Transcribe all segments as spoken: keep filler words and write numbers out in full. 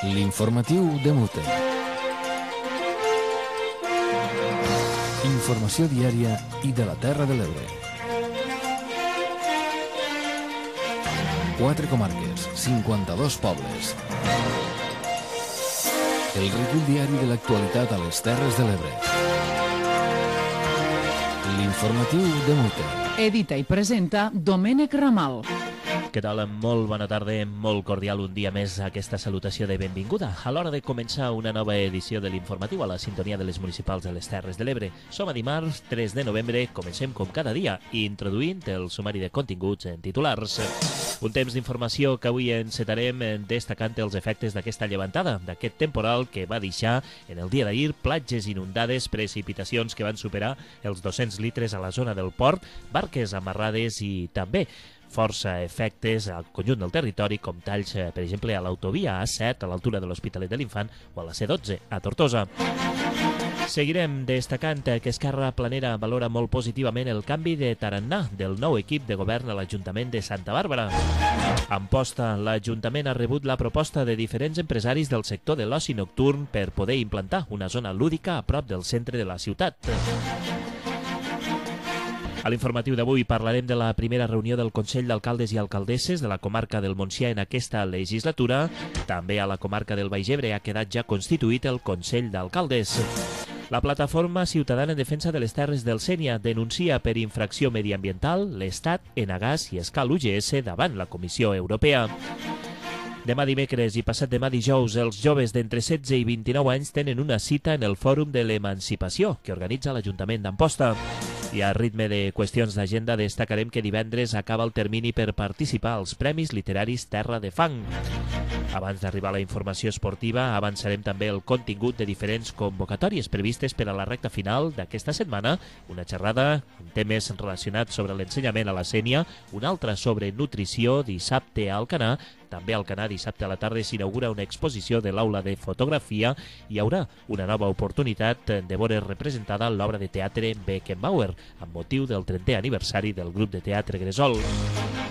L'informatiu de Mute. Informació diària i de la Terra de l'Ebre. Quatre comarques, cinquanta-dos pobles. El recull diari de l'actualitat a les Terres de l'Ebre. L'informatiu de Mute. Edita i presenta Domènec Ramal. Què tal? Molt bona tarda, molt cordial un dia més aquesta salutació de benvinguda. A l'hora de començar una nova edició de l'informatiu a la sintonia de les municipals de les Terres de l'Ebre. Som a dimarts, tres de novembre, comencem com cada dia, introduint el sumari de continguts en titulars. Un temps d'informació que avui encetarem destacant els efectes d'aquesta llevantada, d'aquest temporal que va deixar en el dia d'ahir platges inundades, precipitacions que van superar els dos-cents litres a la zona del port, barques amarrades i també força efectes al conjunt del territori, com talls, per exemple, a l'autovia A set, a l'altura de l'Hospitalet de l'Infant, o a la C dotze, a Tortosa. Seguirem destacant que Esquerra Planera valora molt positivament el canvi de tarannà del nou equip de govern a l'Ajuntament de Santa Bàrbara. A Amposta, l'Ajuntament ha rebut la proposta de diferents empresaris del sector de l'oci nocturn per poder implantar una zona lúdica a prop del centre de la ciutat. A l'informatiu d'avui parlarem de la primera reunió del Consell d'Alcaldes i Alcaldesses de la comarca del Montsià en aquesta legislatura. També a la comarca del Baix Ebre ha quedat ja constituït el Consell d'Alcaldes. La plataforma ciutadana en defensa de les terres del Sénia denuncia per infracció mediambiental l'Estat, Enagás i Escal U G S davant la Comissió Europea. Demà dimecres i passat demà dijous, els joves d'entre setze i vint-i-nou anys tenen una cita en el Fòrum de l'Emancipació que organitza l'Ajuntament d'Amposta. I a ritme de qüestions d'agenda destacarem que divendres acaba el termini per participar als Premis Literaris Terra de Fang. Abans d'arribar a la informació esportiva, avançarem també el contingut de diferents convocatòries previstes per a la recta final d'aquesta setmana, una xerrada amb temes relacionats sobre l'ensenyament a la Sénia, una altra sobre nutrició dissabte a Alcanar. També a Alcanar dissabte a la tarda s'inaugura una exposició de l'aula de fotografia i hi haurà una nova oportunitat de veure representada l'obra de teatre Beckenbauer amb motiu del trentè aniversari del grup de teatre Gresol.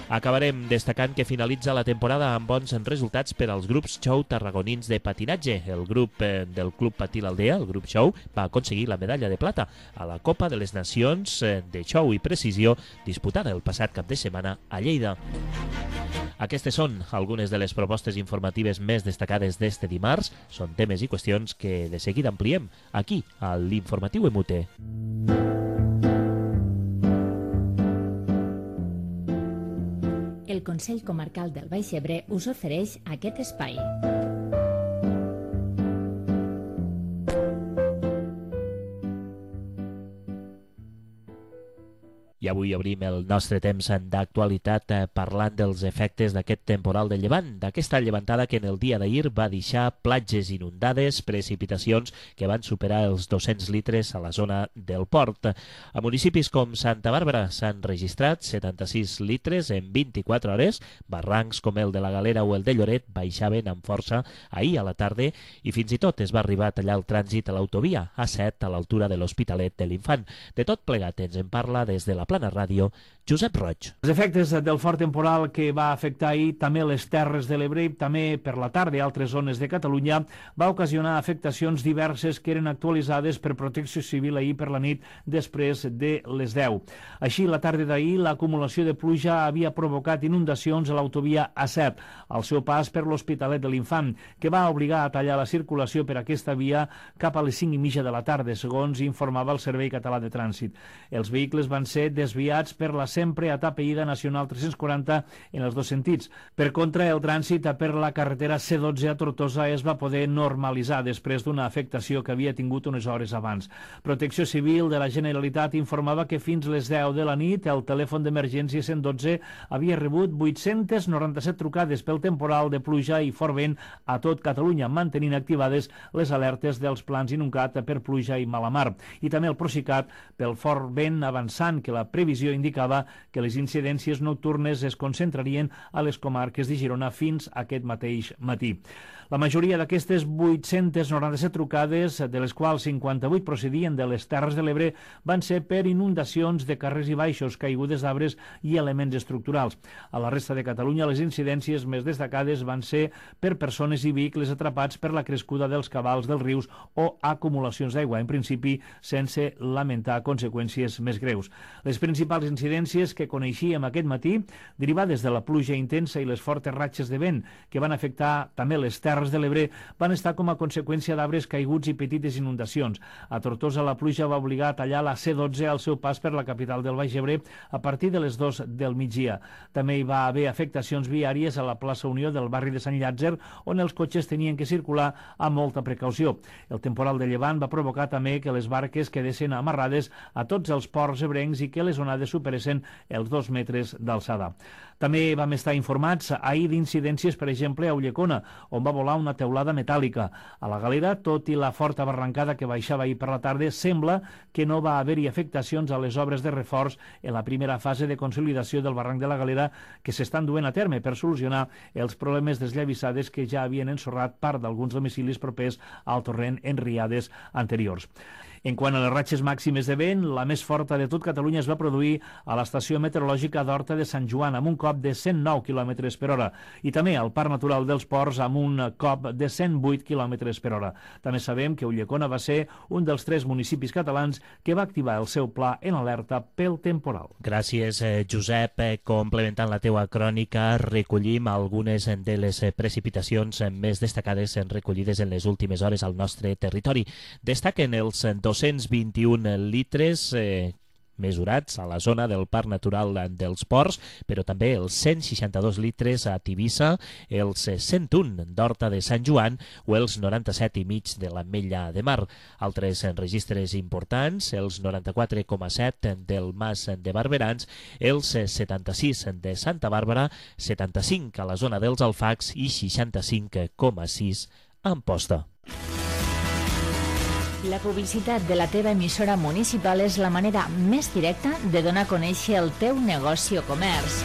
Acabarem destacant que finalitza la temporada amb bons resultats per als grups Show tarragonins de patinatge. El grup del Club Patí l'Aldea, el grup Show, va aconseguir la medalla de plata a la Copa de les Nacions de Show i Precisió disputada el passat cap de setmana a Lleida. Aquestes són algunes de les propostes informatives més destacades d'este dimarts. Són temes i qüestions que de seguida ampliem aquí, a l'Informatiu E M U T E. El Consell Comarcal del Baix Ebre us ofereix aquest espai. I avui obrim el nostre temps d'actualitat parlant dels efectes d'aquest temporal de llevant, d'aquesta llevantada que en el dia d'ahir va deixar platges inundades, precipitacions que van superar els dos-cents litres a la zona del port. A municipis com Santa Bàrbara s'han registrat setanta-sis litres en vint-i-quatre hores, barrancs com el de la Galera o el de Lloret baixaven amb força ahir a la tarda i fins i tot es va arribar a tallar el trànsit a l'autovia A set a l'altura de l'Hospitalet de l'Infant. De tot plegat ens en parla des de la Plana Ràdio, Josep Roig. Els efectes del fort temporal que va afectar ahir també les Terres de l'Ebre i també per la tarda altres zones de Catalunya va ocasionar afectacions diverses que eren actualitzades per Protecció Civil ahir per la nit després de les deu. Així, la tarda d'ahir, l'acumulació de pluja havia provocat inundacions a l'autovia A set, al seu pas per l'Hospitalet de l'Infant, que va obligar a tallar la circulació per aquesta via cap a les cinc i mitja de la tarda, segons informava el Servei Català de Trànsit. Els vehicles van ser desviats per la sempre atapeïda Nacional tres-cents quaranta en els dos sentits. Per contra, el trànsit per la carretera C dotze a Tortosa es va poder normalitzar després d'una afectació que havia tingut unes hores abans. Protecció Civil de la Generalitat informava que fins les deu de la nit el telèfon d'emergència cent dotze havia rebut vuit-cents noranta-set trucades pel temporal de pluja i fort vent a tot Catalunya, mantenint activades les alertes dels plans Inuncat per pluja i mala mar. I també el Procicat pel fort vent avançant que la previsió indicava que les incidències nocturnes es concentrarien a les comarques de Girona fins aquest mateix matí. La majoria d'aquestes vuit-centes noranta-set trucades, de les quals cinquanta-vuit procedien de les Terres de l'Ebre, van ser per inundacions de carrers i baixos, caigudes d'arbres i elements estructurals. A la resta de Catalunya, les incidències més destacades van ser per persones i vehicles atrapats per la crescuda dels cabals dels rius o acumulacions d'aigua, en principi sense lamentar conseqüències més greus. Les principals incidències que coneixíem aquest matí, derivades de la pluja intensa i les fortes ratxes de vent que van afectar també les Terres de l'Ebre, van estar com a conseqüència d'arbres caiguts i petites inundacions. A Tortosa la pluja va obligar a tallar la C dotze al seu pas per la capital del Baix Ebre a partir de les dues del migdia. També hi va haver afectacions viàries a la plaça Unió del barri de Sant Llàtzer, on els cotxes tenien que circular amb molta precaució. El temporal de llevant va provocar també que les barques quedessin amarrades a tots els ports ebrencs i que les onades superessin els dos metres d'alçada. També vam estar informats ahir d'incidències, per exemple, a Ulldecona, on va volar una teulada metàl·lica. A la Galera, tot i la forta barrancada que baixava ahir per la tarda, sembla que no va haver-hi afectacions a les obres de reforç en la primera fase de consolidació del barranc de la Galera que s'estan duent a terme per solucionar els problemes desllavissades que ja havien ensorrat part d'alguns domicilis propers al torrent en riades anteriors. En quant a les ratxes màximes de vent, la més forta de tot Catalunya es va produir a l'estació meteorològica d'Horta de Sant Joan amb un cop de cent nou quilòmetres per hora i també al Parc Natural dels Ports amb un cop de cent vuit quilòmetres per hora. També sabem que Ulldecona va ser un dels tres municipis catalans que va activar el seu pla en alerta pel temporal. Gràcies, Josep. Complementant la teua crònica, recollim algunes de les precipitacions més destacades recollides en les últimes hores al nostre territori. Destaquen els dos-cents vint-i-un litres eh, mesurats a la zona del Parc Natural dels Ports, però també els cent seixanta-dos litres a Tivissa, els cent un d'Horta de Sant Joan o els noranta-set i mig de l'Ametlla de Mar. Altres registres importants, els noranta-quatre coma set del Mas de Barberans, els setanta-sis de Santa Bàrbara, setanta-cinc a la zona dels Alfacs i seixanta-cinc coma sis a Amposta. La publicitat de la teva emissora municipal és la manera més directa de donar a conèixer el teu negoci o comerç.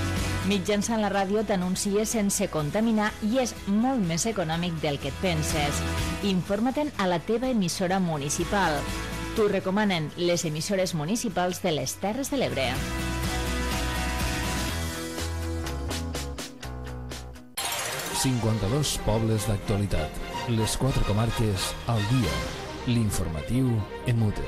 Mitjançant la ràdio t'anuncies sense contaminar i és molt més econòmic del que et penses. Informa-te'n a la teva emissora municipal. T'ho recomanen les emissores municipals de les Terres de l'Ebre. cinquanta-dos pobles d'actualitat. Les quatre comarques al dia. L'informatiu en mute.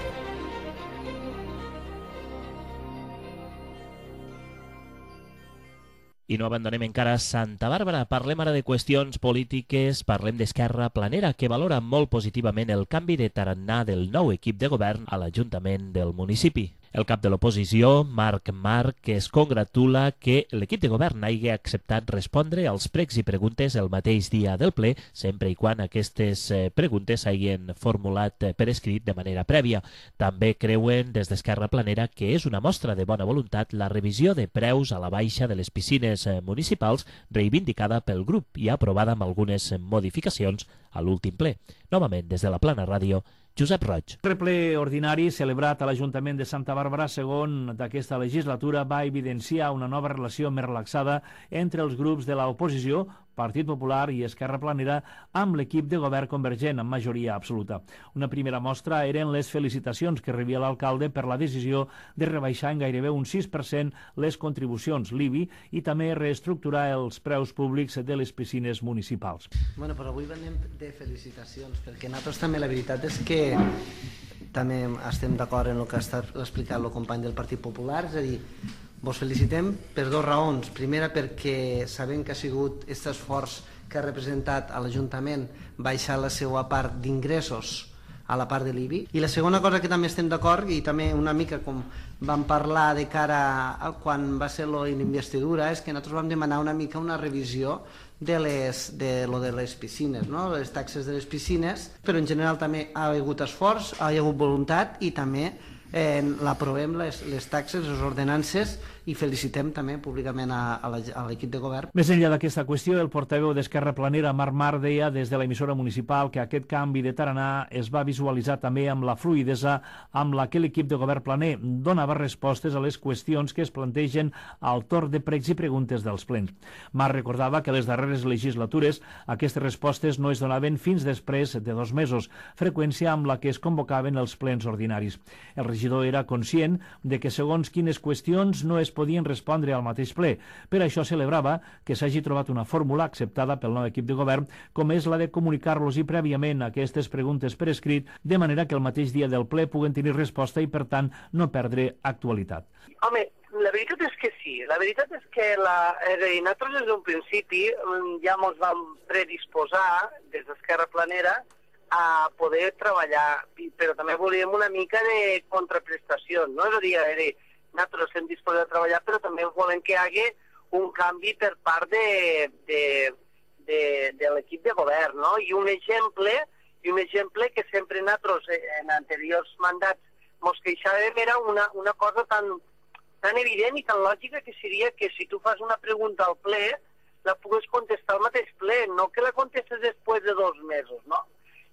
I no abandonem encara Santa Bàrbara. Parlem ara de qüestions polítiques, parlem d'Esquerra Planera, que valora molt positivament el canvi de tarannà del nou equip de govern a l'Ajuntament del municipi. El cap de l'oposició, Marc Marc, es congratula que l'equip de govern hagi acceptat respondre als pregs i preguntes el mateix dia del ple, sempre i quan aquestes preguntes s'hagin formulat per escrit de manera prèvia. També creuen des d'Esquerra Planera que és una mostra de bona voluntat la revisió de preus a la baixa de les piscines municipals reivindicada pel grup i aprovada amb algunes modificacions a l'últim ple. Novament, des de la Plana Ràdio, Josep Roig. El ple ordinari celebrat a l'Ajuntament de Santa Bàrbara, segon d'aquesta legislatura, va evidenciar una nova relació més relaxada entre els grups de l'oposició, Partit Popular i Esquerra Planera, amb l'equip de govern convergent amb majoria absoluta. Una primera mostra eren les felicitacions que rebia l'alcalde per la decisió de rebaixar en gairebé un sis per cent les contribucions l'I B I i també reestructurar els preus públics de les piscines municipals. Bueno, però avui venim de felicitacions, perquè nosaltres també la veritat és que també estem d'acord en el que ha explicat el company del Partit Popular, és a dir, vos felicitem per dues raons. Primera, perquè sabem que ha sigut aquest esforç que ha representat a l'Ajuntament baixar la seva part d'ingressos a la part de l'I B I. I la segona cosa que també estem d'acord, i també una mica com vam parlar de cara a quan va ser la investidura, és que nosaltres vam demanar una mica una revisió de, les, de lo de les piscines, no? Les taxes de les piscines, però en general també ha hagut esforç, ha hagut voluntat i també eh, l'aprovem les, les taxes, les ordenances i felicitem també públicament a, a l'equip de govern. Més enllà d'aquesta qüestió, el portaveu d'Esquerra Planera, Marc Mar, deia des de l'emissora municipal que aquest canvi de tarannà es va visualitzar també amb la fluïdesa amb la que l'equip de govern planer donava respostes a les qüestions que es plantegen al torn de pregs i preguntes dels plens. Marc recordava que les darreres legislatures aquestes respostes no es donaven fins després de dos mesos, freqüència amb la que es convocaven els plens ordinaris. El regidor era conscient de que segons quines qüestions no es podien respondre al mateix ple. Per això celebrava que s'hagi trobat una fórmula acceptada pel nou equip de govern, com és la de comunicar-los i prèviament aquestes preguntes per escrit, de manera que el mateix dia del ple puguen tenir resposta i, per tant, no perdre actualitat. Home, la veritat és que sí. La veritat és que la, és a dir, nosaltres des d'un principi ja ens vam predisposar des d'Esquerra Planera a poder treballar, però també volíem una mica de contraprestació, no? És a dir, a dir nosaltres estem disposats a treballar, però també volem que hi hagi un canvi per part de, de, de, de l'equip de govern, no? I un exemple, i un exemple que sempre nosaltres en anteriors mandats ens queixàvem era una, una cosa tan, tan evident i tan lògica que seria que si tu fas una pregunta al ple, la pugues contestar al mateix ple, no que la contestes després de dos mesos, no?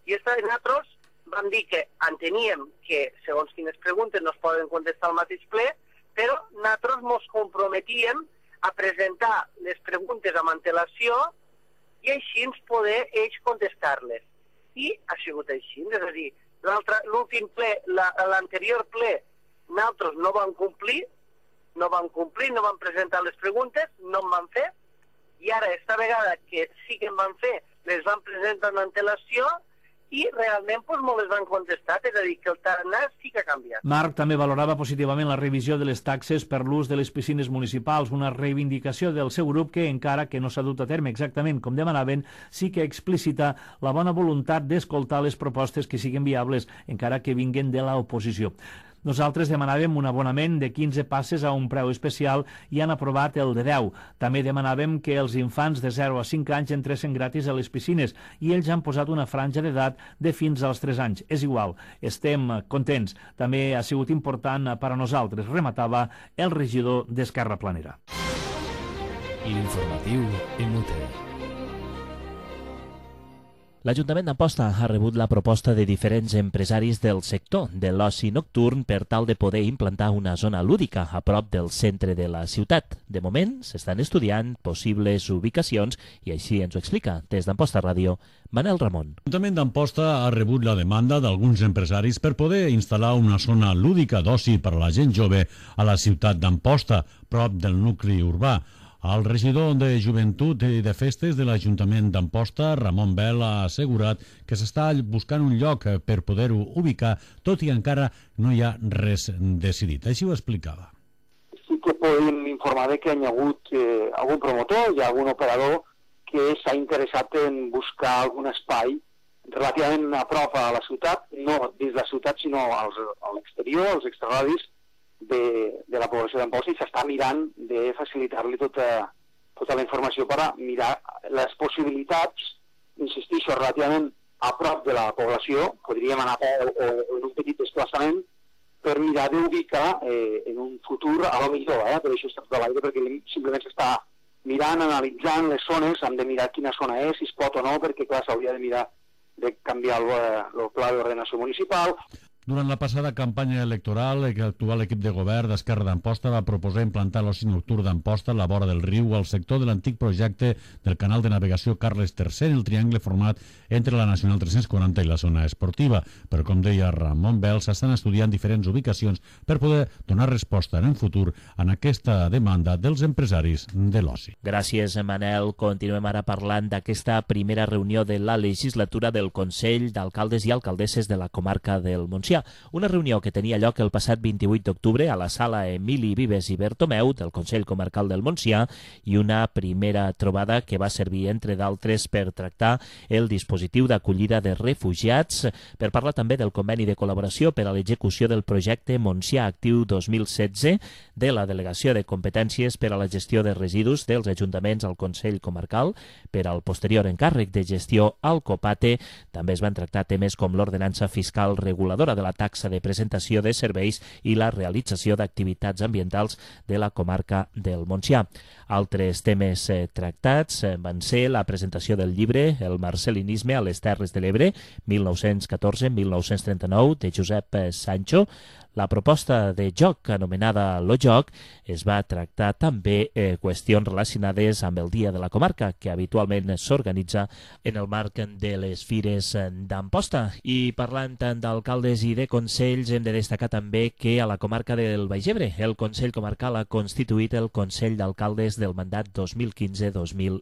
I esta, nosaltres vam dir que enteníem que segons quines preguntes no es poden contestar al mateix ple, però nosaltres ens comprometíem a presentar les preguntes amb antelació i així ens poder ells contestar-les. I ha sigut així, és a dir, l'últim ple, l'anterior ple, nosaltres no vam complir, no vam complir, no vam presentar les preguntes, no en vam fer, i ara, esta vegada que sí que en vam fer, les vam presentar amb antelació, i realment doncs, no les van contestar, és a dir, que el tarannà sí que ha canviat. Marc també valorava positivament la revisió de les taxes per l'ús de les piscines municipals, una reivindicació del seu grup que, encara que no s'ha dut a terme exactament com demanaven, sí que explicita la bona voluntat d'escoltar les propostes que siguin viables, encara que vinguen de l'oposició. Nosaltres demanàvem un abonament de quinze passes a un preu especial i han aprovat el de deu. També demanàvem que els infants de zero a cinc anys entressin gratis a les piscines i ells han posat una franja d'edat de fins als tres anys. És igual, estem contents. També ha sigut important per a nosaltres, rematava el regidor d'Esquerra Planera. L'informatiu en U T E. L'Ajuntament d'Amposta ha rebut la proposta de diferents empresaris del sector de l'oci nocturn per tal de poder implantar una zona lúdica a prop del centre de la ciutat. De moment, s'estan estudiant possibles ubicacions i així ens ho explica des d'Amposta Ràdio Manel Ramon. L'Ajuntament d'Amposta ha rebut la demanda d'alguns empresaris per poder instal·lar una zona lúdica d'oci per a la gent jove a la ciutat d'Amposta, prop del nucli urbà. El regidor de Joventut i de Festes de l'Ajuntament d'Amposta, Ramon Bel, ha assegurat que s'està buscant un lloc per poder-ho ubicar, tot i encara no hi ha res decidit. Així ho explicava. Sí que podem informar que hi ha hagut eh, algun promotor i algun operador que s'ha interessat en buscar algun espai relativament a prop a la ciutat, no dins la ciutat, sinó als, a l'exterior, als extraradis, De, de la població d'Amposta, i s'està mirant de facilitar-li tota, tota la informació per a mirar les possibilitats, insistixo, relativament a prop de la població, podríem anar a, o, o en un petit desplaçament, per mirar d'ubicar eh, en un futur, a lo millor, eh, per això està tot a l'aire, perquè simplement s'està mirant, analitzant les zones, hem de mirar quina zona és, si es pot o no, perquè clar, s'hauria de mirar de canviar el, el pla d'ordenació municipal. Durant la passada campanya electoral, l'actual equip de govern d'Esquerra d'Amposta va proposar implantar l'oci nocturn d'Amposta a la vora del riu al sector de l'antic projecte del canal de navegació Carles tercer, el triangle format entre la Nacional tres-cents quaranta i la zona esportiva. Però, com deia Ramon Bel, s'estan estudiant diferents ubicacions per poder donar resposta en el futur en aquesta demanda dels empresaris de l'oci. Gràcies, Manel. Continuem ara parlant d'aquesta primera reunió de la legislatura del Consell d'Alcaldes i Alcaldesses de la comarca del Montsià. Una reunió que tenia lloc el passat vint-i-vuit d'octubre a la sala Emili Vives i Bertomeu del Consell Comarcal del Montsià i una primera trobada que va servir, entre d'altres, per tractar el dispositiu d'acollida de refugiats, per parlar també del conveni de col·laboració per a l'execució del projecte Montsià Actiu dos mil setze, de la delegació de competències per a la gestió de residus dels ajuntaments al Consell Comarcal, per al posterior encàrrec de gestió al COPATE. També es van tractar temes com l'ordenança fiscal reguladora del de la taxa de presentació de serveis i la realització d'activitats ambientals de la comarca del Montsià. Altres temes eh, tractats eh, van ser la presentació del llibre El marcelinisme a les Terres de l'Ebre, mil nou-cents catorze a mil nou-cents trenta-nou, de Josep eh, Sancho. La proposta de joc anomenada Lo Joc es va tractar també eh, qüestions relacionades amb el Dia de la Comarca, que habitualment s'organitza en el marc de les fires d'Amposta. I parlant d'alcaldes i de consells, hem de destacar també que a la comarca del Baix Ebre el Consell Comarcal ha constituït el Consell d'Alcaldes del mandat dos mil quinze dos mil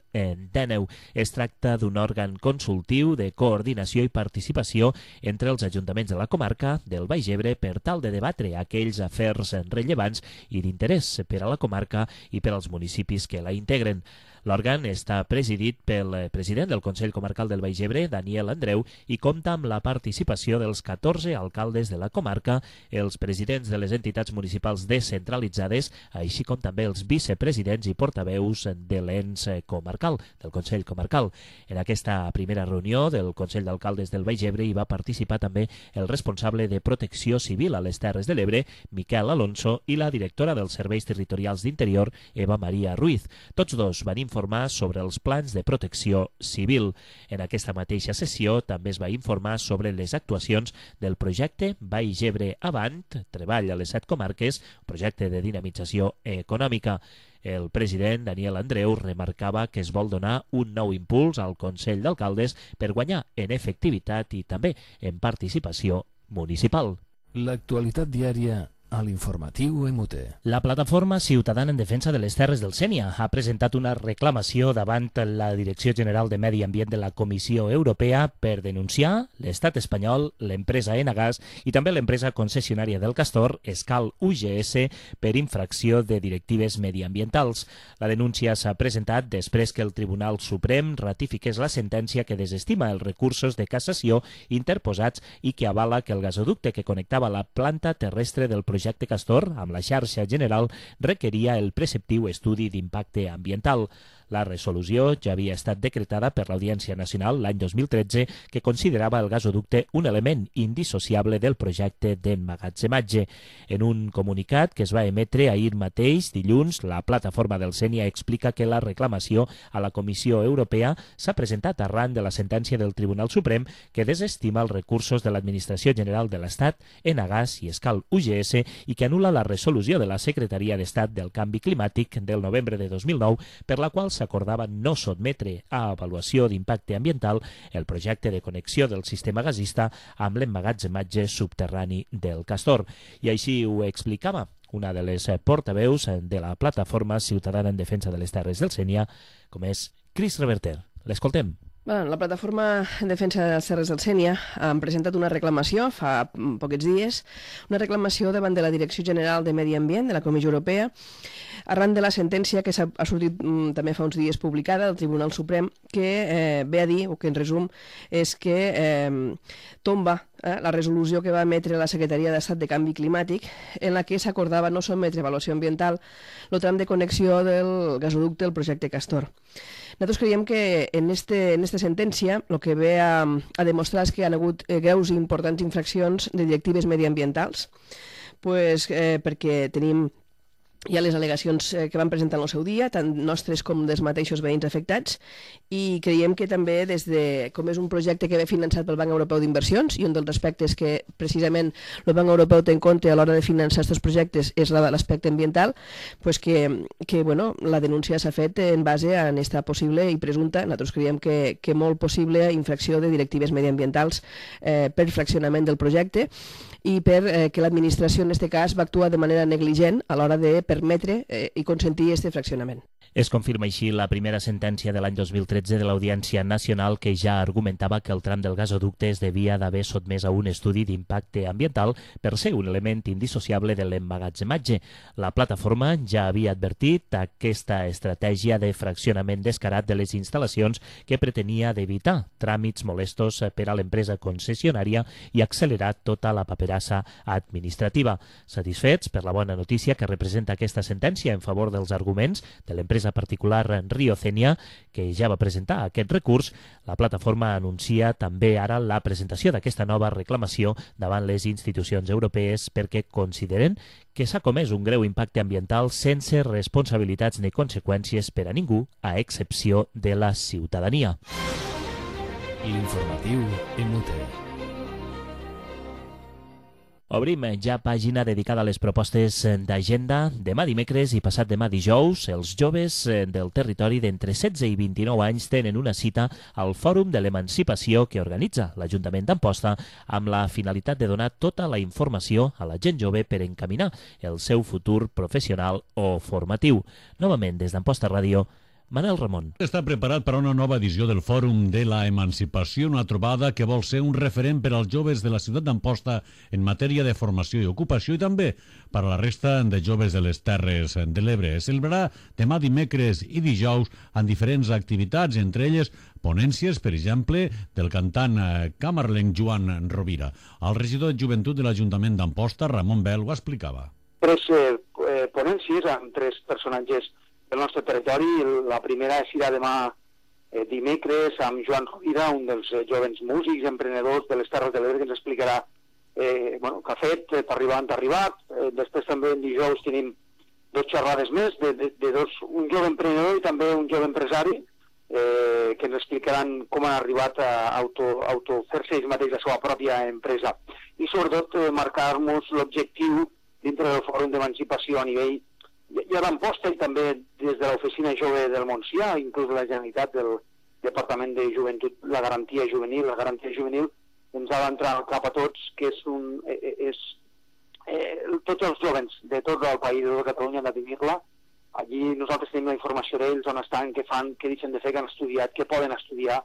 dinou. Es tracta d'un òrgan consultiu de coordinació i participació entre els ajuntaments de la comarca del Baix Ebre per tal de debatre aquells afers rellevants i d'interès per a la comarca i per als municipis que la integren. L'òrgan està presidit pel president del Consell Comarcal del Baix Ebre, Daniel Andreu, i compta amb la participació dels catorze alcaldes de la comarca, els presidents de les entitats municipals descentralitzades, així com també els vicepresidents i portaveus de l'ens comarcal, del Consell Comarcal. En aquesta primera reunió del Consell d'Alcaldes del Baix Ebre hi va participar també el responsable de Protecció Civil a les Terres de l'Ebre, Miquel Alonso, i la directora dels Serveis Territorials d'Interior, Eva Maria Ruiz. Tots dos van informar sobre els plans de protecció civil. En aquesta mateixa sessió també es va informar sobre les actuacions del projecte Baix Ebre Avant, treball a les set comarques, projecte de dinamització econòmica. El president Daniel Andreu remarcava que es vol donar un nou impuls al Consell d'Alcaldes per guanyar en efectivitat i també en participació municipal. L'actualitat diària a l'informatiu M T. La plataforma ciutadana en defensa de les Terres del Sénia ha presentat una reclamació davant la Direcció General de Medi Ambient de la Comissió Europea per denunciar l'estat espanyol, l'empresa Enagas i també l'empresa concessionària del Castor, Escal U G S, per infracció de directives mediambientals. La denúncia s'ha presentat després que el Tribunal Suprem ratifiqués la sentència que desestima els recursos de cassació interposats i que avala que el gasoducte que connectava la planta terrestre del projecte projecte Castor amb la xarxa general requeria el preceptiu estudi d'impacte ambiental. La resolució ja havia estat decretada per l'Audiència Nacional l'any dos mil tretze, que considerava el gasoducte un element indissociable del projecte d'emmagatzematge. En un comunicat que es va emetre ahir mateix, dilluns, la plataforma del Sénia explica que la reclamació a la Comissió Europea s'ha presentat arran de la sentència del Tribunal Suprem que desestima els recursos de l'Administració General de l'Estat, Enagas i Escal U G S i que anul·la la resolució de la Secretaria d'Estat del Canvi Climàtic del novembre de dos mil nou, per la qual s'acordava no sotmetre a avaluació d'impacte ambiental el projecte de connexió del sistema gasista amb l'emmagatzematge subterrani del Castor. I així ho explicava una de les portaveus de la plataforma ciutadana en defensa de les Terres del Sénia, com és Cris Reverter. L'escoltem. Bueno, la plataforma en defensa de les Terres del Sénia han presentat una reclamació fa pocs dies, una reclamació davant de la Direcció General de Medi Ambient de la Comissió Europea, arran de la sentència que ha sortit mm, també fa uns dies publicada del Tribunal Suprem, que eh, ve a dir, o que en resum, és que eh, tomba eh, la resolució que va emetre la Secretaria d'Estat de Canvi Climàtic, en la que s'acordava no sotmetre avaluació ambiental el tram de connexió del gasoducte del projecte Castor. Nosaltres creiem que en este, en esta sentència el que ve a, a demostrar és que hi ha hagut eh, greus i importants infraccions de directives mediambientals, pues, eh, perquè tenim hi ha les al·legacions que van presentar en el seu dia, tant nostres com dels mateixos veïns afectats, i creiem que també des de, com és un projecte que ve finançat pel Banc Europeu d'Inversions, i un dels aspectes que precisament el Banc Europeu té en compte a l'hora de finançar aquests projectes és l'aspecte ambiental, pues que, que bueno, la denúncia s'ha fet en base a aquesta possible i presumpta, nosaltres creiem que, que molt possible infracció de directives mediambientals eh, per fraccionament del projecte, i per eh, que l'administració en aquest cas va actuar de manera negligent a l'hora de permetre eh, i consentir aquest fraccionament. Es confirma així la primera sentència de l'any dos mil tretze de l'Audiència Nacional, que ja argumentava que el tram del gasoducte es devia d'haver sotmès a un estudi d'impacte ambiental per ser un element indissociable de l'emmagatzematge. La plataforma ja havia advertit aquesta estratègia de fraccionament descarat de les instal·lacions que pretenia d'evitar tràmits molestos per a l'empresa concessionària i accelerar tota la paperassa administrativa. Satisfets per la bona notícia que representa aquesta sentència en favor dels arguments de l'empresa l'empresa particular Riocenia, que ja va presentar aquest recurs. La plataforma anuncia també ara la presentació d'aquesta nova reclamació davant les institucions europees perquè consideren que s'ha comès un greu impacte ambiental sense responsabilitats ni conseqüències per a ningú, a excepció de la ciutadania. L'informatiu en Mute. Obrim ja pàgina dedicada a les propostes d'agenda. Demà dimecres i passat demà dijous, els joves del territori d'entre setze i vint-i-nou anys tenen una cita al Fòrum de l'Emancipació que organitza l'Ajuntament d'Amposta amb la finalitat de donar tota la informació a la gent jove per encaminar el seu futur professional o formatiu. Novament, des d'Amposta Ràdio, Manel Ramon. Està preparat per a una nova edició del Fòrum de la Emancipació, una trobada que vol ser un referent per als joves de la ciutat d'Amposta en matèria de formació i ocupació i també per a la resta de joves de les Terres de l'Ebre. Es celebrarà demà dimecres i dijous en diferents activitats, entre elles ponències, per exemple, del cantant camarlenc Joan Rovira. El regidor de Joventut de l'Ajuntament d'Amposta, Ramon Bel, ho explicava. Tres eh, ponències amb tres personatges del nostre territori. La primera serà demà eh, dimecres amb Joan Rovira, un dels eh, jovens músics, emprenedors de les Terres de l'Ebre, que ens explicarà eh, bueno, què ha fet per arribar on ha arribat. Eh, després també en dijous tenim dos xerrades més, de, de, de dos, un jove emprenedor i també un jove empresari, eh, que ens explicaran com han arribat a auto, auto fer-se ells mateix la seva pròpia empresa. I sobretot eh, marcar-nos l'objectiu dintre del Fòrum d'Emancipació a nivell i a l'Amposta i també des de l'Oficina Jove del Montsià, inclús de la Generalitat del Departament de Joventut, la garantia juvenil. La garantia juvenil ens ha d'entrar al cap a tots, que és un... És, eh, tots els joves de tot el país, de tota Catalunya, han de tenir-la. Allí nosaltres tenim la informació d'ells, on estan, què fan, què deixen de fer, què han estudiat, què poden estudiar,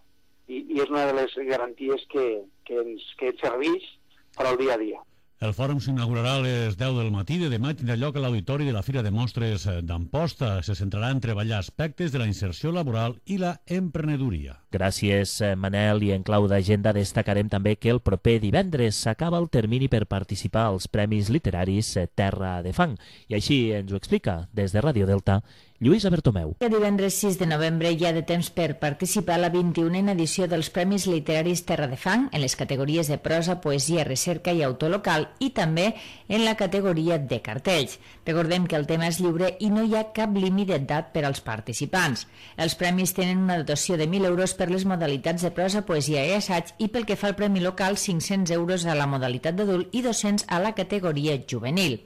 i, i és una de les garanties que, que, ens, que ens serveix per al dia a dia. El fòrum s'inaugurarà a les deu del matí de demà i tindrà lloc a l'Auditori de la Fira de Mostres d'Amposta. Se centrarà en treballar aspectes de la inserció laboral i la emprenedoria. Gràcies, Manel. I en clau d'agenda destacarem també que el proper divendres s'acaba el termini per participar als Premis Literaris Terra de Fang. I així ens ho explica des de Ràdio Delta Lluïsa Bertomeu. El divendres sis de novembre hi ha de temps per participar a la vint-i-unena edició dels Premis Literaris Terra de Fang en les categories de prosa, poesia, recerca i autor local i també en la categoria de cartells. Recordem que el tema és lliure i no hi ha cap límit d'edat per als participants. Els premis tenen una dotació de mil euros per les modalitats de prosa, poesia i assaig i pel que fa al premi local cinc-cents euros a la modalitat d'adult i dos-cents a la categoria juvenil.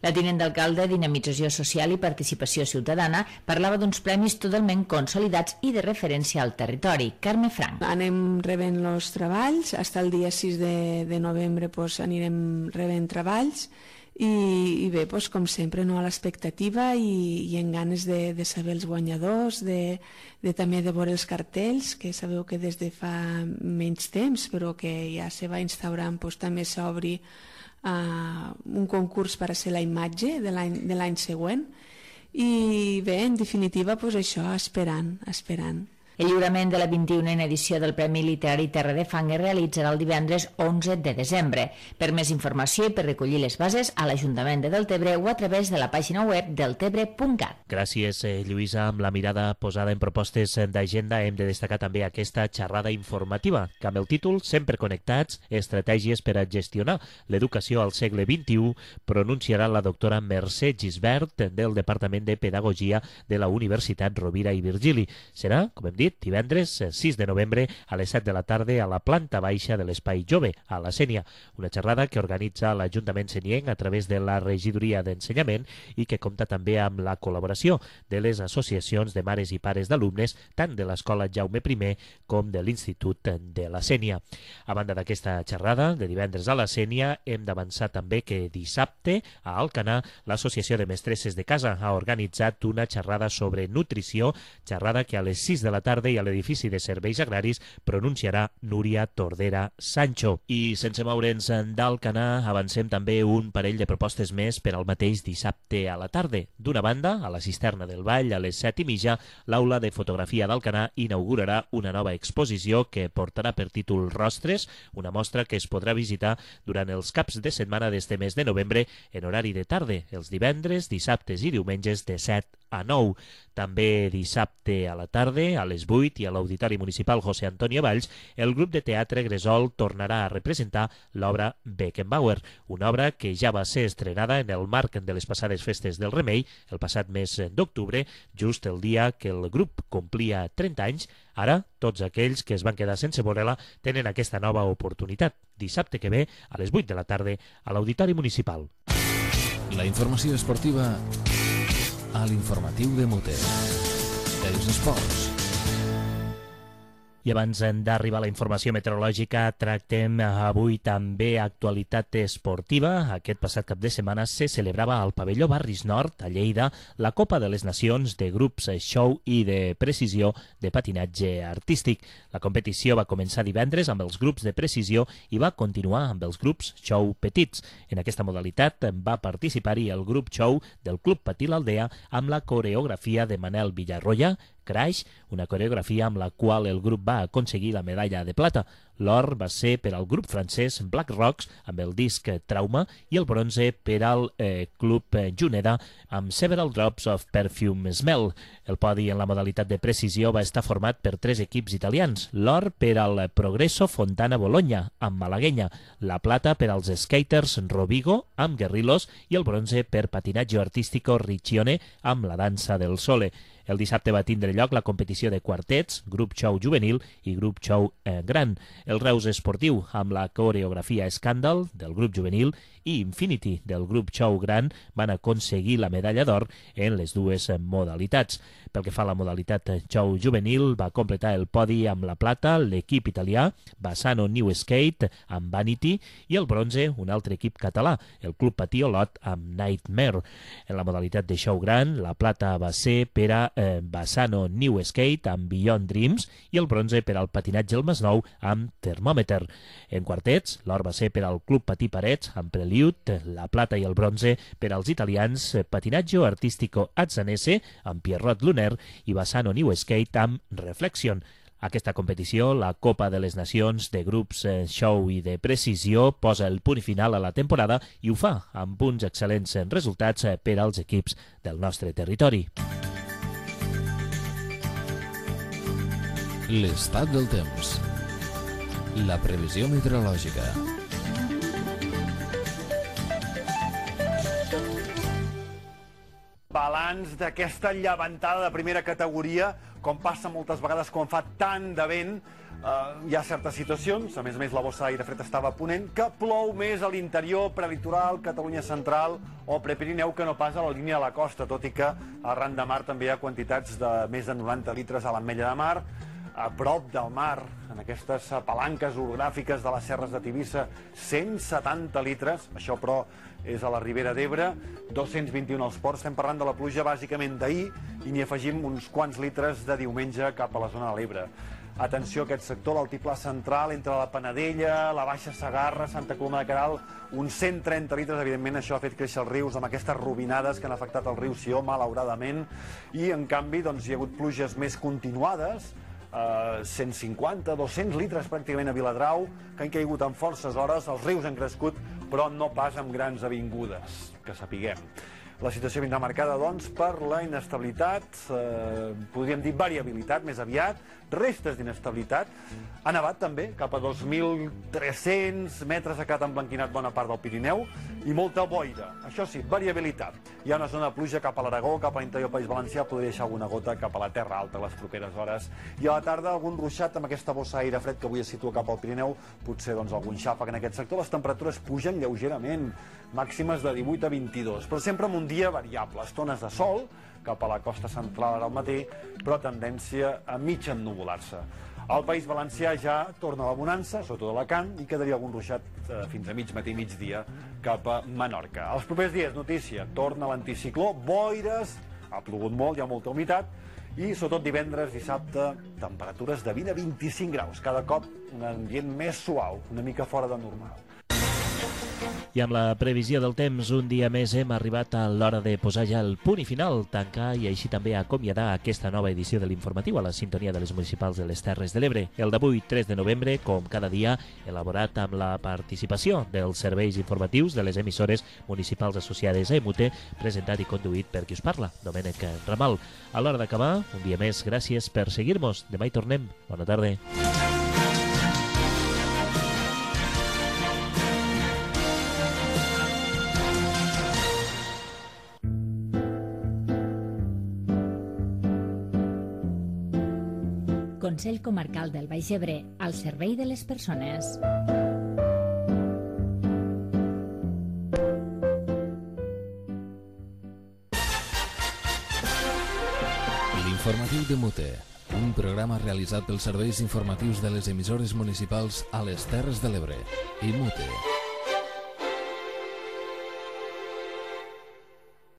La tinent d'alcalde, Dinamització Social i Participació Ciutadana, parlava d'uns premis totalment consolidats i de referència al territori. Carme Frank. Anem rebent els treballs, fins el dia sis de, de novembre pues, anirem rebent treballs i, i bé, pues, com sempre, no, a l'expectativa i, i en ganes de, de saber els guanyadors, de, de també de veure els cartells, que sabeu que des de fa menys temps, però que ja se va instaurant, pues, també s'obri Uh, un concurs per a ser la imatge de l'any següent i bé, en definitiva, pues això, esperant, esperant. El lliurament de la vint-i-unena edició del Premi Literari Terra de Fang es realitzarà el divendres onze de desembre. Per més informació i per recollir les bases a l'Ajuntament de Deltebre o a través de la pàgina web deltebre punt cat. Gràcies, eh, Lluïsa. Amb la mirada posada en propostes d'agenda hem de destacar també aquesta xerrada informativa, que amb el títol Sempre connectats, estratègies per a gestionar l'educació al segle vint-i-u, pronunciarà la doctora Mercè Gisbert del Departament de Pedagogia de la Universitat Rovira i Virgili. Serà, com hem dit, divendres sis de novembre a les set de la tarda a la planta baixa de l'Espai Jove, a la Sénia. Una xerrada que organitza l'Ajuntament senienc a través de la Regidoria d'Ensenyament i que compta també amb la col·laboració de les associacions de mares i pares d'alumnes tant de l'Escola Jaume primer com de l'Institut de la Sénia. A banda d'aquesta xerrada de divendres a la Sénia, hem d'avançar també que dissabte a Alcanar l'Associació de Mestresses de Casa ha organitzat una xerrada sobre nutrició, xerrada que a les sis de la tarda tarda i a l'edifici de serveis agraris pronunciarà Núria Tordera Sancho. I sense moure'ns d'Alcanar, avancem també un parell de propostes més per al mateix dissabte a la tarda. D'una banda, a la Cisterna del Vall, a les set i mitja, l'Aula de Fotografia d'Alcanar inaugurarà una nova exposició que portarà per títol Rostres, una mostra que es podrà visitar durant els caps de setmana d'este mes de novembre en horari de tarda, els divendres, dissabtes i diumenges de set a nou. També dissabte a la tarda, a les vuit, i a l'Auditori Municipal José Antonio Valls, el grup de teatre Gresol tornarà a representar l'obra Beckenbauer, una obra que ja va ser estrenada en el marc de les passades festes del Remei, el passat mes d'octubre, just el dia que el grup complia trenta anys. Ara, tots aquells que es van quedar sense veure-la tenen aquesta nova oportunitat. Dissabte que ve, a les vuit de la tarda, a l'Auditori Municipal. La informació esportiva a l'informatiu de Muter. Els esports. I abans d'arribar a la informació meteorològica, tractem avui també actualitat esportiva. Aquest passat cap de setmana se celebrava al pavelló Barris Nord, a Lleida, la Copa de les Nacions de grups show i de precisió de patinatge artístic. La competició va començar divendres amb els grups de precisió i va continuar amb els grups show petits. En aquesta modalitat va participar-hi el grup show del Club Patí l'Aldea amb la coreografia de Manel Villarroya, Crash, una coreografia amb la qual el grup va aconseguir la medalla de plata. L'or va ser per al grup francès Black Rocks amb el disc Trauma i el bronze per al eh, club Juneda amb Several Drops of Perfume Smell. El podi en la modalitat de precisió va estar format per tres equips italians. L'or per al Progresso Fontana Bologna amb Malaguenya, la plata per als skaters Rovigo amb Guerrillos i el bronze per patinatge artístico Riccione amb la dansa del Sole. El dissabte va tindre lloc la competició de quartets, grup show juvenil i grup show eh, gran. El Reus Esportiu amb la coreografia Scandal del grup juvenil i Infinity del grup show gran van aconseguir la medalla d'or en les dues modalitats. Pel que fa a la modalitat show juvenil, va completar el podi amb la plata l'equip italià Bassano New Skate amb Vanity i el bronze un altre equip català, el Club Patí Olot amb Nightmare. En la modalitat de show gran, la plata va ser per a eh, Bassano New Skate amb Beyond Dreams i el bronze per al patinatge al Masnou amb Thermometer. En quartets, l'or va ser per al Club Patí Parets amb Prelude, la plata i el bronze per als italians Patinatge Artístico Azzanese amb Pierrot Luner i Bassano New Skate amb Reflection. Aquesta competició, la Copa de les Nacions de grups show i de precisió, posa el punt final a la temporada i ho fa amb uns excel·lents resultats per als equips del nostre territori. L'estat del temps. La previsió meteorològica. Balanç d'aquesta llevantada de primera categoria, com passa moltes vegades quan fa tant de vent. Uh, hi ha certes situacions, a més a més la bossa d'aire fred estava a ponent, que plou més a l'interior, prelitoral, Catalunya central o prepirineu que no pas a la línia de la costa, tot i que arran de mar també hi ha quantitats de més de noranta litres a l'Ametlla de Mar, a prop del mar, en aquestes palanques orogràfiques de les serres de Tivissa, cent setanta litres, això però és a la Ribera d'Ebre, dos-cents vint-i-un als ports. Estem parlant de la pluja bàsicament d'ahir i n'hi afegim uns quants litres de diumenge cap a la zona de l'Ebre. Atenció a aquest sector, l'altiplà central, entre la Panadella, la Baixa Segarra, Santa Coloma de Queralt, uns cent trenta litres, evidentment això ha fet créixer els rius amb aquestes robinades que han afectat el riu Sió, malauradament, i en canvi doncs, hi ha hagut pluges més continuades, Uh, cent cinquanta, dos-cents litres pràcticament a Viladrau, que han caigut en forces hores, els rius han crescut, però no pas amb grans avingudes, que sapiguem. La situació vindrà marcada, doncs, per la inestabilitat, eh, podríem dir variabilitat, més aviat, restes d'inestabilitat. Ha nevat també, cap a dos mil tres-cents metres ha quedat emblanquinat bona part del Pirineu, i molta boira. Això sí, variabilitat. Hi ha una zona de pluja cap a l'Aragó, cap a l'interior del País Valencià, podria deixar alguna gota cap a la Terra Alta les properes hores. I a la tarda algun ruixat amb aquesta bossa d'aire fred que avui es situa cap al Pirineu, potser doncs, algun xàfec en aquest sector. Les temperatures pugen lleugerament, màximes de divuit a vint-i-dos, però sempre amb un dia variable, estones de sol cap a la costa central ara al matí, però tendència a mig ennuvolar-se. Al País Valencià ja torna la bonança, sobretot a Alacant, i quedaria algun ruixat eh, fins a mig matí, migdia, cap a Menorca. Els propers dies, notícia, torna l'anticicló, boires, ha plogut molt, hi ha molta humitat, i sobretot divendres, dissabte, temperatures de vint a vint-i-cinc graus. Cada cop un ambient més suau, una mica fora de normal. I amb la previsió del temps, un dia més hem arribat a l'hora de posar ja el punt i final, tancar i així també acomiadar aquesta nova edició de l'informatiu a la sintonia de les municipals de les Terres de l'Ebre. El d'avui, tres de novembre, com cada dia, elaborat amb la participació dels serveis informatius de les emissores municipals associades a EMUTE, presentat i conduït per qui us parla, Domènec Ramal. A l'hora d'acabar, un dia més, gràcies per seguir-nos. Demà hi tornem. Bona tarda. Consell Comarcal del Baix Ebre, al servei de les persones. L'informatiu de Mute, un programa realitzat pels serveis informatius de les emissores municipals a les Terres de l'Ebre. I Mute.